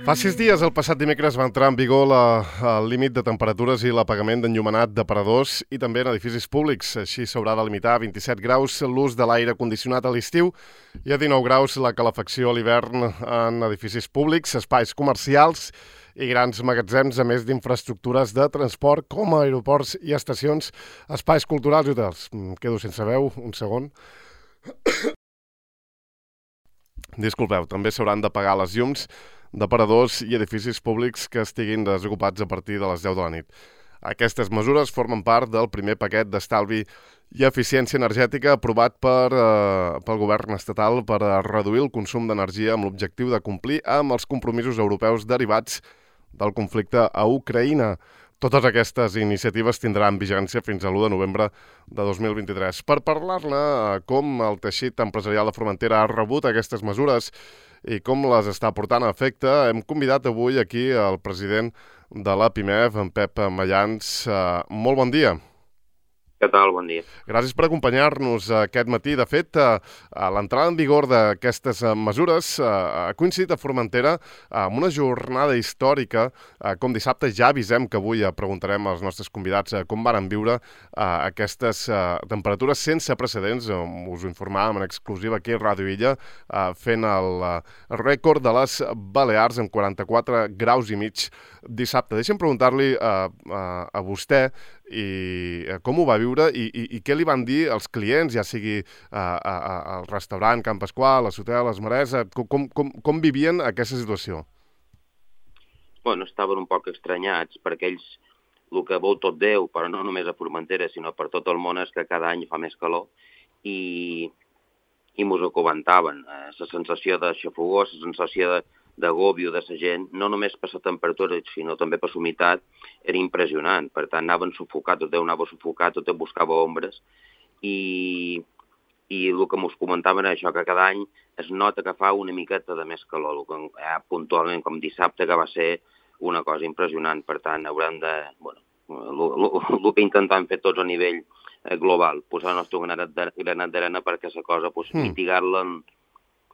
Fa 6 dies, el passat dimecres, va entrar en vigor el límit de temperatures i l'apagament d'enllumenat d'aparadors i també en edificis públics. Així s'haurà de limitar a 27 graus l'ús de l'aire condicionat a l'estiu i a 19 graus la calefacció a l'hivern en edificis públics, espais comercials i grans magatzems, a més d'infraestructures de transport com aeroports i estacions, espais culturals i hotels. Em quedo sense veu, un segon. Disculpeu, també s'hauran d'apagar les llums d'aparadors i edificis públics que estiguin desocupats a partir de les 10 de la nit. Aquestes mesures formen part del primer paquet d'estalvi i eficiència energètica aprovat pel govern estatal per a reduir el consum d'energia amb l'objectiu de complir amb els compromisos europeus derivats del conflicte a Ucraïna. Totes aquestes iniciatives tindran vigència fins a l'1 de novembre de 2023. Per parlar-ne, com el teixit empresarial de Formentera ha rebut aquestes mesures i com les està portant a efecte, hem convidat avui aquí el president de la PIMEF, en Pep Mayans. Molt bon dia. Què tal? Bon dia. Gràcies per acompanyar-nos aquest matí. De fet, l'entrada en vigor d'aquestes mesures ha coincidit a Formentera amb una jornada històrica. Com dissabte ja avisem que avui preguntarem als nostres convidats com van viure aquestes temperatures sense precedents. Us ho informàvem en exclusiva aquí a Ràdio Illa, fent el rècord de les Balears amb 44 graus i mig dissabte. Deixa'm preguntar-li a vostè com ho va viure i què li van dir els clients, ja sigui al restaurant Can Pasqual, a l'hotel Les Marès, com vivien aquesta situació? Bueno, estaven un poc estranyats, perquè ells, el que vol tot Déu, però no només a Formentera, sinó per tot el món, és que cada any fa més calor i mos ho comentaven. La sensació de xafogó, la sensació d'agòbio de la gent, no només per la temperatura, sinó també per la humitat, era impressionant. Per tant, anaven sufocats, tot Déu anava sufocat, tot Déu buscava ombres, i el que ens comentaven és això, que cada any es nota que fa una miqueta de més calor, puntualment, com dissabte, que va ser una cosa impressionant. Per tant, haurem de... el que intentem fer tots a nivell global, posar el nostre granat d'arena perquè la cosa, mitigar-la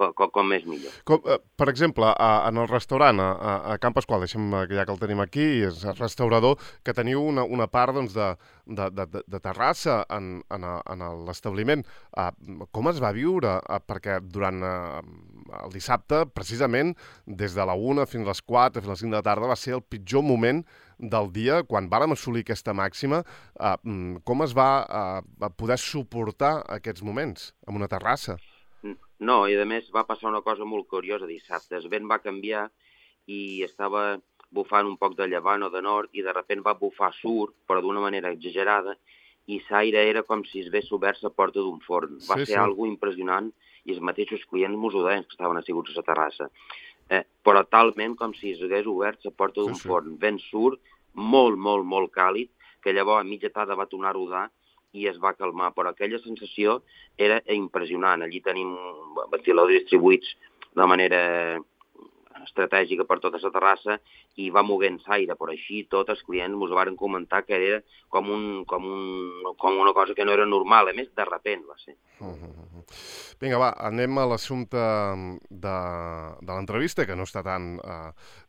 com més millor. Per exemple, en el restaurant, a Can Pasqual, deixem que ja que el tenim aquí, és el restaurador, que teniu una part de terrassa en l'establiment. Com es va viure? Perquè durant el dissabte, precisament, des de la 1 fins a les 4, fins a les 5 de la tarda, va ser el pitjor moment del dia, quan vàrem assolir aquesta màxima. Com es va poder suportar aquests moments en una terrassa? No, i a més va passar una cosa molt curiosa dissabte. El vent va canviar i estava bufant un poc de llevant o de nord i de sobte va bufar sur, però d'una manera exagerada, i l'aire era com si es hagués obert la porta d'un forn. Va ser algo impressionant i els mateixos clients mos ho deien que estaven asseguts a la terrassa. Però talment com si es hagués obert la porta d'un forn. Vent sur, molt, molt, molt càlid, que llavors a mitja tarda va tornar a rodar i es va calmar, però aquella sensació era impressionant. Allí tenim ventiladors distribuïts de manera estratègica per tota la terrassa i va moguent l'aire, però així tots els clients ens van comentar que era com una cosa que no era normal, a més de sobte va ser. Vinga, va, anem a l'assumpte de l'entrevista, que no està tan,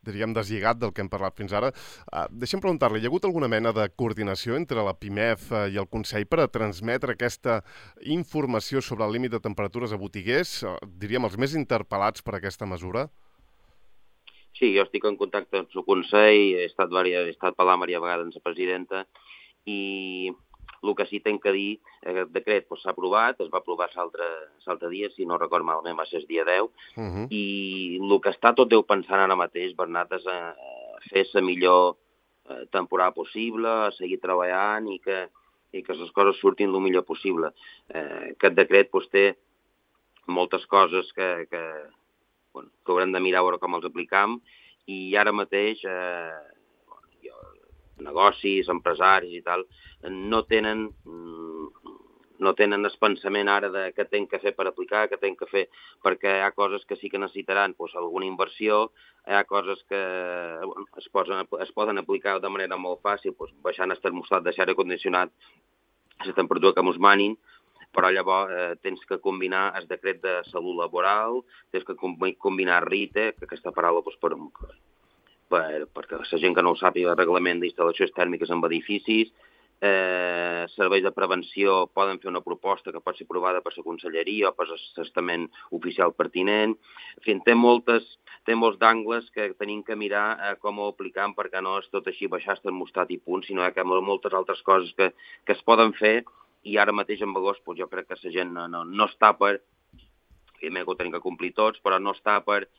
diríem, deslligat del que hem parlat fins ara. Deixa'm preguntar-li, hi ha hagut alguna mena de coordinació entre la PIMEF i el Consell per a transmetre aquesta informació sobre el límit de temperatures a botiguers, diríem, els més interpel·lats per aquesta mesura? Sí, jo estic en contacte amb el Consell, he estat parlant diverses vegades amb la presidenta i el que sí que tinc que dir, aquest decret s'ha aprovat, es va aprovar l'altre dia, si no recordo malament va ser el dia 10, i el que està tot Déu pensant ara mateix, Bernat, és a fer la millor temporada possible, a seguir treballant i que les coses surtin el millor possible. Aquest decret té moltes coses que haurem de mirar a veure com els aplicam, i ara mateix negocis, empresaris i tal, no tenen el pensament ara de què tenen que fer per aplicar, què tenen que fer, perquè hi ha coses que sí que necessitaran alguna inversió, hi ha coses que es poden aplicar de manera molt fàcil, baixant el termostat, deixar aire condicionat a la temperatura que ens manin, però llavors tens que combinar el decret de salut laboral, tens que combinar RITE, que aquesta paraula perquè la gent que no ho sàpiga, el reglament d'instal·lacions tèrmiques en edificis, serveis de prevenció poden fer una proposta que pot ser aprovada per la conselleria o per l'estament oficial pertinent. En fi, té molts d'angles que tenim que mirar com ho aplicam perquè no és tot així baixar el termostat i punt, sinó que hi ha moltes altres coses que es poden fer i ara mateix en agost jo crec que la gent no està per, evidentment que ho tenim que complir tots, però no està per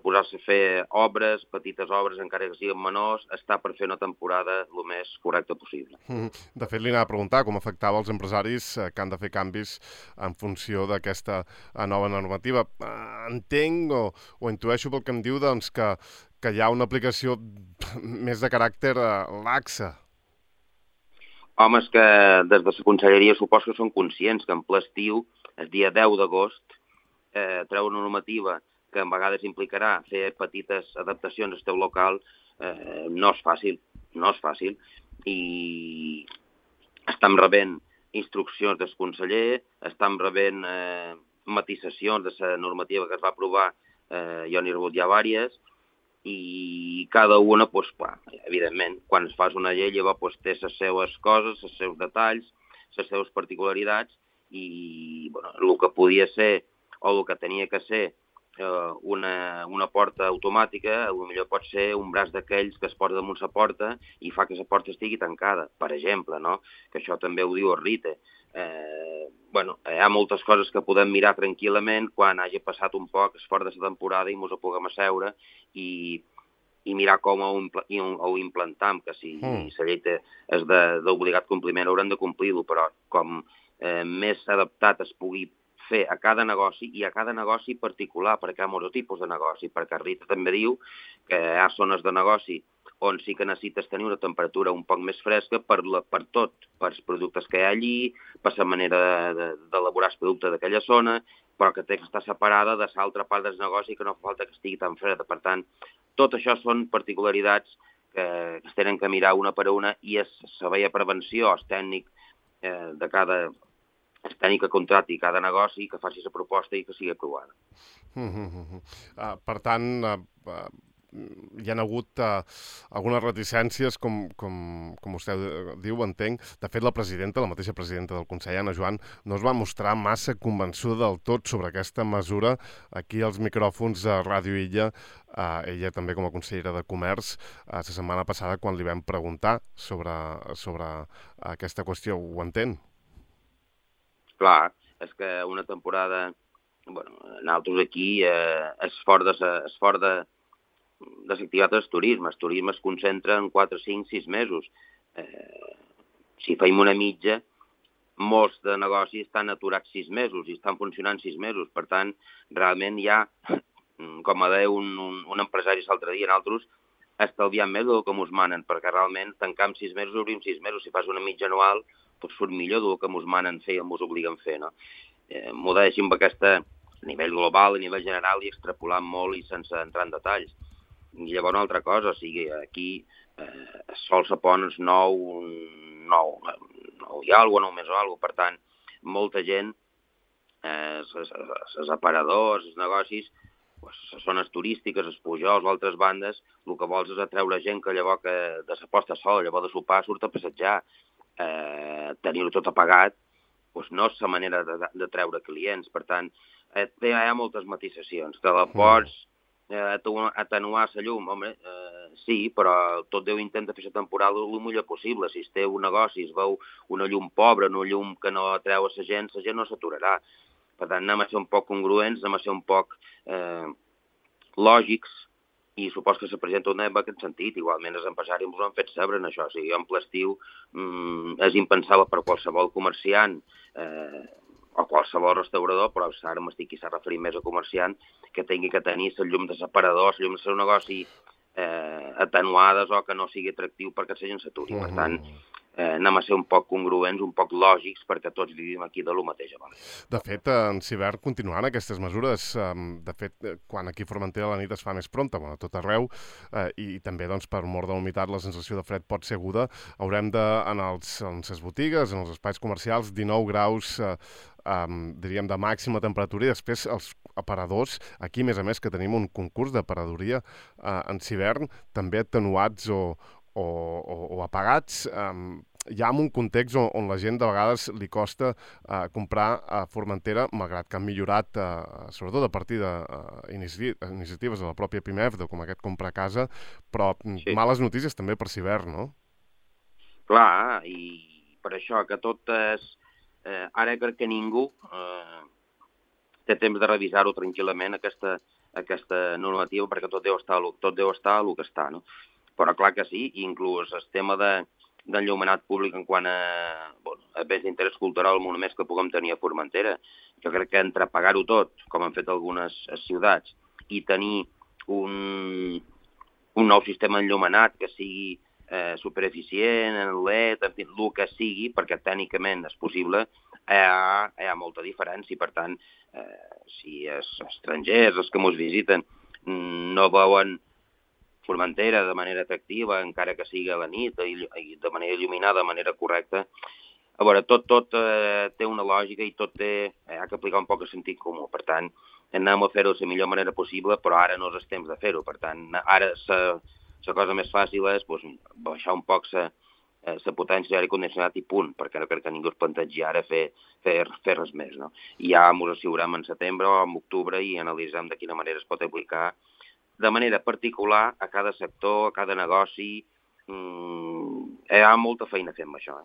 posar-se a fer obres, petites obres, encara que siguin menors, està per fer una temporada el més correcta possible. De fet, li anava a preguntar com afectava els empresaris que han de fer canvis en funció d'aquesta nova normativa. Entenc o intueixo pel que em diu doncs, que hi ha una aplicació més de caràcter laxa. Home, és que des de la conselleria suposo que són conscients que en ple estiu, el dia 10 d'agost, treu una normativa que a vegades implicarà fer petites adaptacions al teu local, no és fàcil. I estem rebent instruccions del conseller, estem rebent matisacions de la normativa que es va aprovar, jo n'he rebut ja diverses, i cada una, evidentment, quan es fa una llei, llavors té les seues coses, els seus detalls, les seves particularitats, i el que podia ser o el que tenia que ser una porta automàtica, potser pot ser un braç d'aquells que es posa damunt la porta i fa que la porta estigui tancada, per exemple, no? Que això també ho diu el RITE. Hi ha moltes coses que podem mirar tranquil·lament quan hagi passat un poc fora de la temporada i ens ho puguem asseure i mirar com ho implantam, que si la llei és d'obligat compliment haurem de complir-ho, però com més adaptat es pugui fer a cada negoci i a cada negoci particular, perquè hi ha molts tipus de negoci, perquè Rita també diu que hi ha zones de negoci on sí que necessites tenir una temperatura un poc més fresca per tot, per els productes que hi ha allí, per la manera d'elaborar el producte d'aquella zona, però que té que estar separada de l'altra part del negoci que no fa falta que estigui tan freda. Per tant, tot això són particularitats que es tenen que mirar una per una i el servei de prevenció, el tècnic de cada el tècnic que contrati cada negoci, que faci la proposta i que sigui aprovada. Per tant, hi ha hagut algunes reticències, com vostè diu, entenc. De fet, la mateixa presidenta del Consell, Anna Joan, no es va mostrar massa convençuda del tot sobre aquesta mesura. Aquí als micròfons de Ràdio Illa, ella també com a consellera de Comerç, la setmana passada, quan li vam preguntar sobre aquesta qüestió, ho entén? Clar, és que una temporada, nosaltres aquí és fort de l'activitat del turisme. El turisme es concentra en 4, 5, 6 mesos. Si feim una mitja, molts de negocis estan aturats 6 mesos i estan funcionant 6 mesos. Per tant, realment hi ha, com a deia un empresari l'altre dia, nosaltres estalviant més del que ens manen, perquè realment tancam 6 mesos, obrim 6 mesos. Si fas una mitja anual, doncs surt millor del que ens manen fer i ens obliguen a fer, no? M'ho deixem a nivell global, a nivell general, i extrapolant molt i sense entrar en detalls. I llavors una altra cosa, o sigui, aquí el sol se pon el 9 i alguna, 9 més o alguna. Per tant, molta gent, els aparadors, els negocis, les zones turístiques, els pujols o altres bandes, el que vols és atreure gent que llavors de la posta a sol, llavors de sopar, surt a passejar. Tenir-ho tot apagat no és la manera de treure clients. Per tant, hi ha moltes matisacions. Que la pots atenuar la llum, home, sí, però tot Déu intenta fer la temporada el millor possible. Si es té un negoci, es veu una llum pobra, una llum que no atreu a la gent no s'aturarà. Per tant, anem a ser un poc congruents, anem a ser un poc lògics, i supos que se presenta una en aquest sentit. Igualment els empresaris ens ho han fet saber en això. O sigui, jo en ple estiu és impensable per qualsevol comerciant o qualsevol restaurador, però ara m'estic referint més a comerciant, que tingui que tenir les llums de separador, les llums del seu negoci atenuades o que no sigui atractiu perquè la gent s'aturi. Per tant, anem a ser un poc congruents, un poc lògics, perquè tots vivim aquí de lo mateix a vegades. De fet, en Civert continuaran aquestes mesures. De fet, quan aquí a Formentera la nit es fa més prompta, bueno, a tot arreu, i també doncs, per mort de la humitat la sensació de fred pot ser aguda, haurem de, en les botigues, en els espais comercials, 19 graus, diríem, de màxima temperatura, i després els aparadors, aquí a més que tenim un concurs d'aparadoria en Civern, també atenuats o apagats, ja en un context on la gent de vegades li costa comprar a Formentera, malgrat que han millorat, sobretot a partir d'iniciatives de la pròpia PIMEF, com aquest comprar a casa, però Sí. males notícies també per Civern, no? Clar, i per això que tot és... ara crec que ningú té temps de revisar-ho tranquil·lament, aquesta normativa, perquè tot deu estar el que està, no? Però clar que sí, inclús el tema d'enllumenat públic en quant a béns d'interès cultural, monuments que puguem tenir a Formentera. Jo crec que entre pagar-ho tot, com han fet algunes ciutats, i tenir un nou sistema enllumenat que sigui supereficient, en LED, en fi, el que sigui, perquè tècnicament és possible, hi ha molta diferència. Per tant, si els estrangers, els que ens visiten, no veuen Formentera de manera atractiva, encara que sigui a la nit, i de manera il·luminada, de manera correcta, a veure, tot té una lògica i tot ha que aplicar un poc de sentit comú. Per tant, anem a fer-ho de la millor manera possible, però ara no és el temps de fer-ho. Per tant, ara la cosa més fàcil és baixar un poc la potència d'aire condicionat i punt, perquè no crec que ningú es plantegi ara fer res més, no? I ja ens assigurem en setembre o en octubre i analitzem de quina manera es pot aplicar de manera particular a cada sector, a cada negoci. Hi ha molta feina a fer amb això,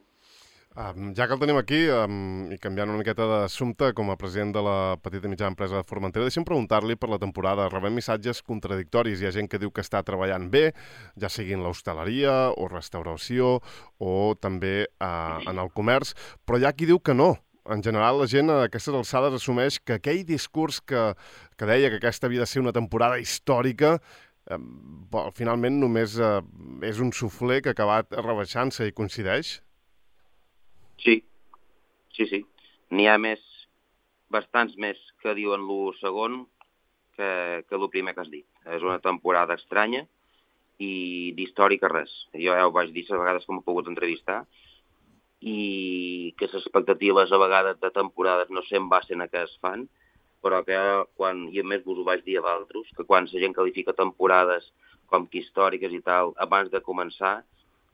Ja que el tenim aquí, i canviant una miqueta d'assumpte, com a president de la petita i mitjana empresa de Formentera, deixa'm preguntar-li per la temporada. Rebem missatges contradictoris. Hi ha gent que diu que està treballant bé, ja sigui en l'hostaleria o restauració o també en el comerç, però hi ha qui diu que no. En general, la gent a aquestes alçades assumeix que aquell discurs que deia que aquesta havia de ser una temporada històrica finalment només és un suflé que ha acabat rebaixant-se i coincideix? Sí. N'hi ha bastants més que diuen lo segon que el primer que has dit. És una temporada estranya i d'històrica res. Jo ja ho vaig dir les vegades que m'he pogut entrevistar, i que les expectatives a vegades de temporades no se'n basen a què es fan, però que quan, i a més vos ho vaig dir a vosaltres, que quan la gent qualifica temporades com que històriques i tal, abans de començar,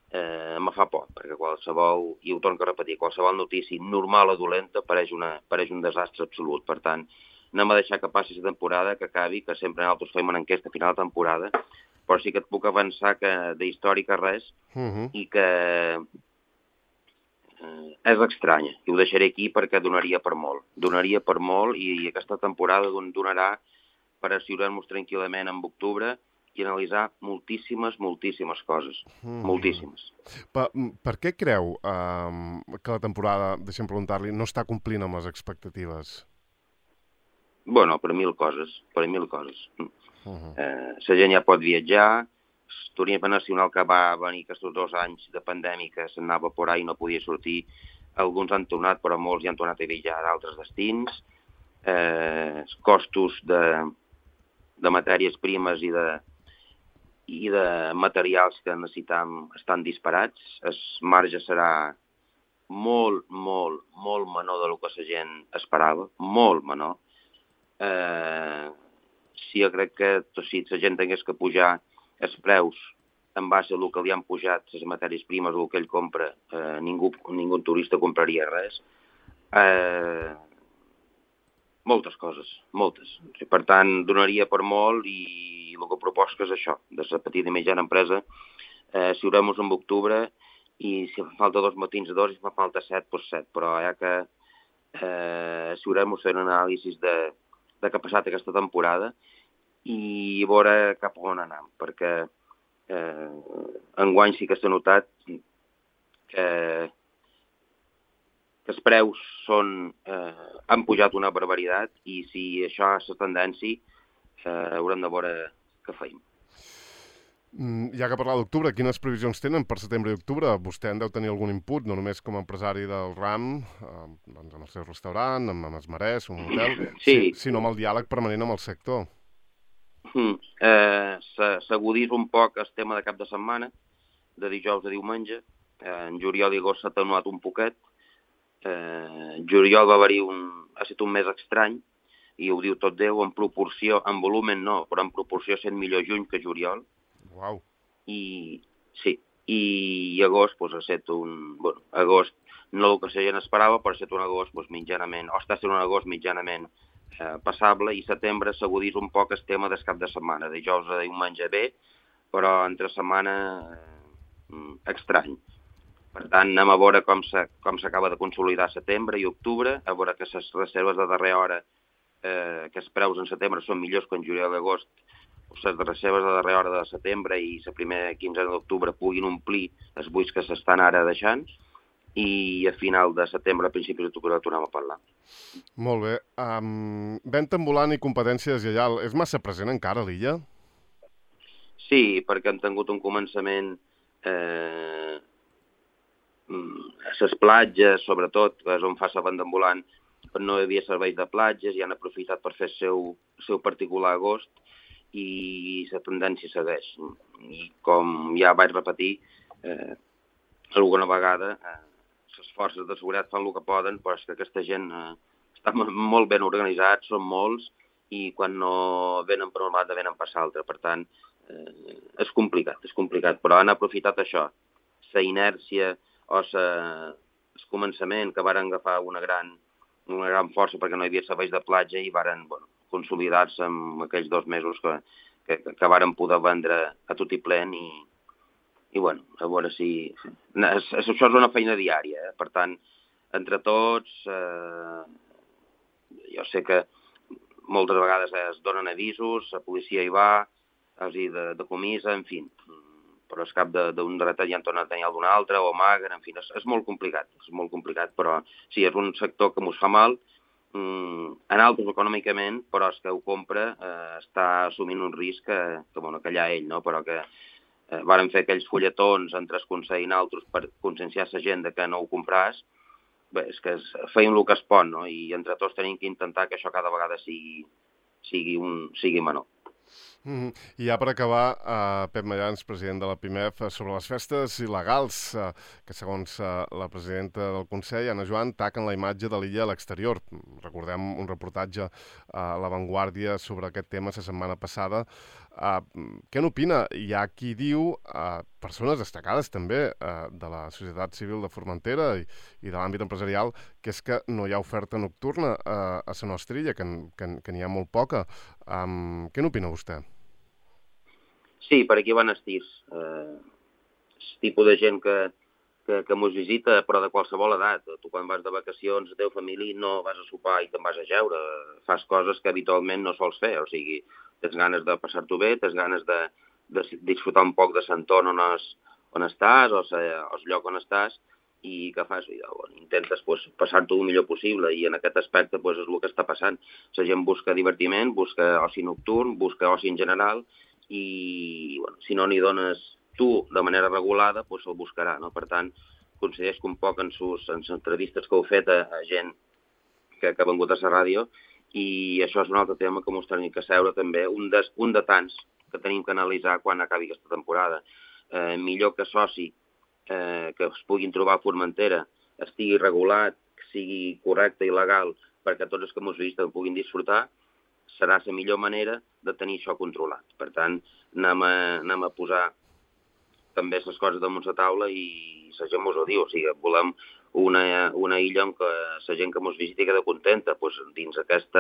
me fa por, perquè qualsevol, i ho torno a repetir, qualsevol notícia normal o dolenta pareix un desastre absolut. Per tant, anem a deixar que passi la temporada, que acabi, que sempre nosaltres fem una enquesta a final de temporada, però sí que et puc avançar que d'històrica res, i que és estranya, i ho deixaré aquí perquè donaria per molt, i aquesta temporada donarà per asseure-nos tranquil·lament en octubre i analitzar moltíssimes coses, moltíssimes. Per què creu que la temporada, deixem preguntar-li, no està complint amb les expectatives? Bueno, per mil coses. La gent ja pot viatjar, el turisme nacional que va venir aquests 2 anys de pandèmica s'anava por ahí i no podia sortir. Alguns han tornat, però molts ja han tornat a viatjar a altres destins. Els costos de matèries primes i de materials que necessitam estan disparats. El marge serà molt menor del que la gent esperava, molt menor. Sí, jo crec que si la gent tingués que pujar els preus en base al que li han pujat les matèries primes o el que ell compra, ningú turista compraria res. Moltes coses, moltes. Per tant, donaria per molt, i el que proposo és això, de la petita i mitjana empresa, asseurem-nos en octubre, i si fa falta 2 matins, 2, i si fa falta 7, doncs 7, però hi ha que asseurem-nos fent un anàlisi de què ha passat aquesta temporada i veure cap a on anem, perquè enguany sí que s'ha notat que els preus han pujat una barbaritat, i si això és la tendència, haurem de veure què feim. Ja que parlar d'octubre, quines previsions tenen per setembre i octubre? Vostè en deu tenir algun input, no només com a empresari del RAM, doncs amb el seu restaurant, amb els marès, un hotel, Sí, sinó amb el diàleg permanent amb el sector. s'agudís un poc el tema de cap de setmana, de dijous a diumenge. En juliol i agost s'ha atenuat un poquet. Juliol va haver-hi ha estat un mes estrany, i ho diu tot Déu, en proporció, en volumen no, però en proporció ha estat millor juny que juliol. Uau. I sí, i agost doncs, ha estat agost no el que la gent esperava, però ha estat un agost mitjanament, o està sent un agost mitjanament passable, i setembre s'agudís un poc el tema del cap de setmana, dijous a diumenge bé, però entre setmana estrany. Per tant, anem a veure com s'acaba de consolidar setembre i octubre, a veure que les reserves de darrera hora, que els preus en setembre són millors que en juliol i agost, les reserves de darrera hora de setembre i la primera quinzena d'octubre puguin omplir els buits que s'estan ara deixant, i a final de setembre, a principis d'octubre, tornem a parlar. Molt bé. Venda ambulant i competència deslleial, és massa present encara a l'illa? Sí, perquè han tingut un començament a les platges, sobretot, que és on fa la venda ambulant, no hi havia serveis de platges i han aprofitat per fer el seu particular agost, i la tendència segueix. I com ja vaig repetir, alguna vegada les forces de seguretat fan el que poden, però és que aquesta gent està molt ben organitzats, són molts, i quan no venen per una banda venen per l'altra. Per tant, és complicat, però han aprofitat això, la inèrcia o el començament, que varen agafar una gran força perquè no hi havia serveis de platja, i varen consolidar-se en aquells 2 mesos que varen poder vendre a tot i plen, i a veure si... Això és una feina diària, per tant, entre tots, jo sé que moltes vegades es donen avisos, la policia hi va, els hi decomissa, en fi, però al cap d'un dret ja en tornen a tenir algun altre, o amaguen, en fi, és molt complicat, però sí, és un sector que mos fa mal, en altres econòmicament, però el que ho compra està assumint un risc que allà ell, no? Però que varen fer aquells fulletons entre el Consell i altres per conscienciar la gent que no ho compràs. Bé, és que feim el que es pot, no? I entre tots tenim que intentar que això cada vegada sigui menor. I ja per acabar, Pep Mallans, president de la PIMEF, sobre les festes il·legals, que segons la presidenta del Consell, Anna Joan, taquen la imatge de l'illa a l'exterior. Recordem un reportatge a La Vanguardia sobre aquest tema la setmana passada. Què n'opina? Hi ha qui diu, persones destacades també de la societat civil de Formentera i de l'àmbit empresarial, que és que no hi ha oferta nocturna a la nostra illa, que n'hi ha molt poca. Què n'opina vostè? Sí, per aquí van estirs. El tipus de gent que mos visita, però de qualsevol edat. Tu quan vas de vacacions, la teva família, no vas a sopar i te'n vas a jeure. Fas coses que habitualment no sols fer. O sigui, tens ganes de passar-t'ho bé, tens ganes de disfrutar un poc de l'entorn on estàs, o el lloc on estàs, i què fas? Intentes passar-t'ho el millor possible, i en aquest aspecte és el que està passant. La gent busca divertiment, busca oci nocturn, busca oci en general, i si no n'hi dones tu de manera regulada, se'l buscarà, no? Per tant, coincideix un poc en les entrevistes que heu fet a gent que ha vengut a la ràdio, i això és un altre tema que ens tenim que seure també, un de tants que tenim que analitzar quan acabi aquesta temporada. Millor que soci que es puguin trobar a Formentera estigui regulat, que sigui correcte i legal perquè tots els que ens visiten puguin disfrutar, serà la millor manera de tenir això controlat. Per tant, anem a posar també les coses damunt la taula, i la gent ens ho diu. O sigui, volem una illa on la gent que ens visiti queda contenta. Dins aquest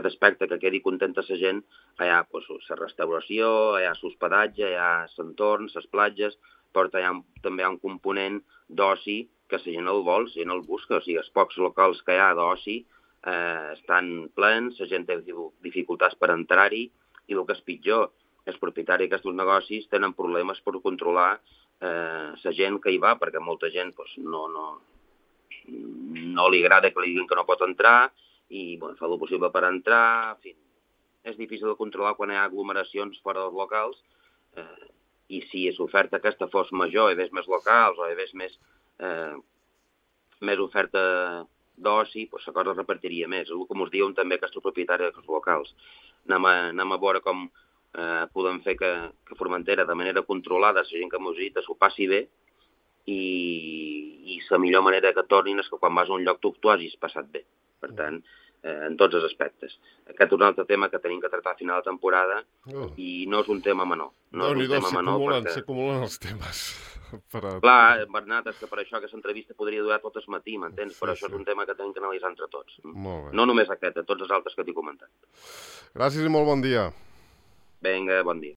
aspecte que quedi contenta la gent, hi ha la restauració, hi ha l'hospedatge, hi ha l'entorn, les platges, però també hi ha un component d'oci que la gent el vol, la gent el busca. O sigui, els pocs locals que hi ha d'oci estan plens, la gent té dificultats per entrar-hi, i el que és pitjor, els propietaris d'aquests negocis tenen problemes per controlar la gent que hi va, perquè molta gent no li agrada que li diguin que no pot entrar, i fa el possible per entrar. En fi, és difícil de controlar quan hi ha aglomeracions fora dels locals, i si l'oferta aquesta fos major, hi hagués més locals o hi hagués més oferta d'oci, doncs la cosa es repartiria més. És el que ens diuen també aquests propietaris dels locals. Anem a veure com podem fer que Formentera, de manera controlada, la gent que ens visita s'ho passi bé, i la millor manera que tornin és que quan vas a un lloc tu hagis passat bé. Per tant, en tots els aspectes. Aquest és un altre tema que tenim que tractar a final de temporada i no és un tema menor. Déu-n'hi-do, s'acumulen els temes. Clar, Bernat, és que per això aquesta entrevista podria durar tot el matí, m'entens? Però això és un tema que tenim que analitzar entre tots. No només aquest, tots els altres que t'he comentat. Gràcies i molt bon dia. Vinga, bon dia.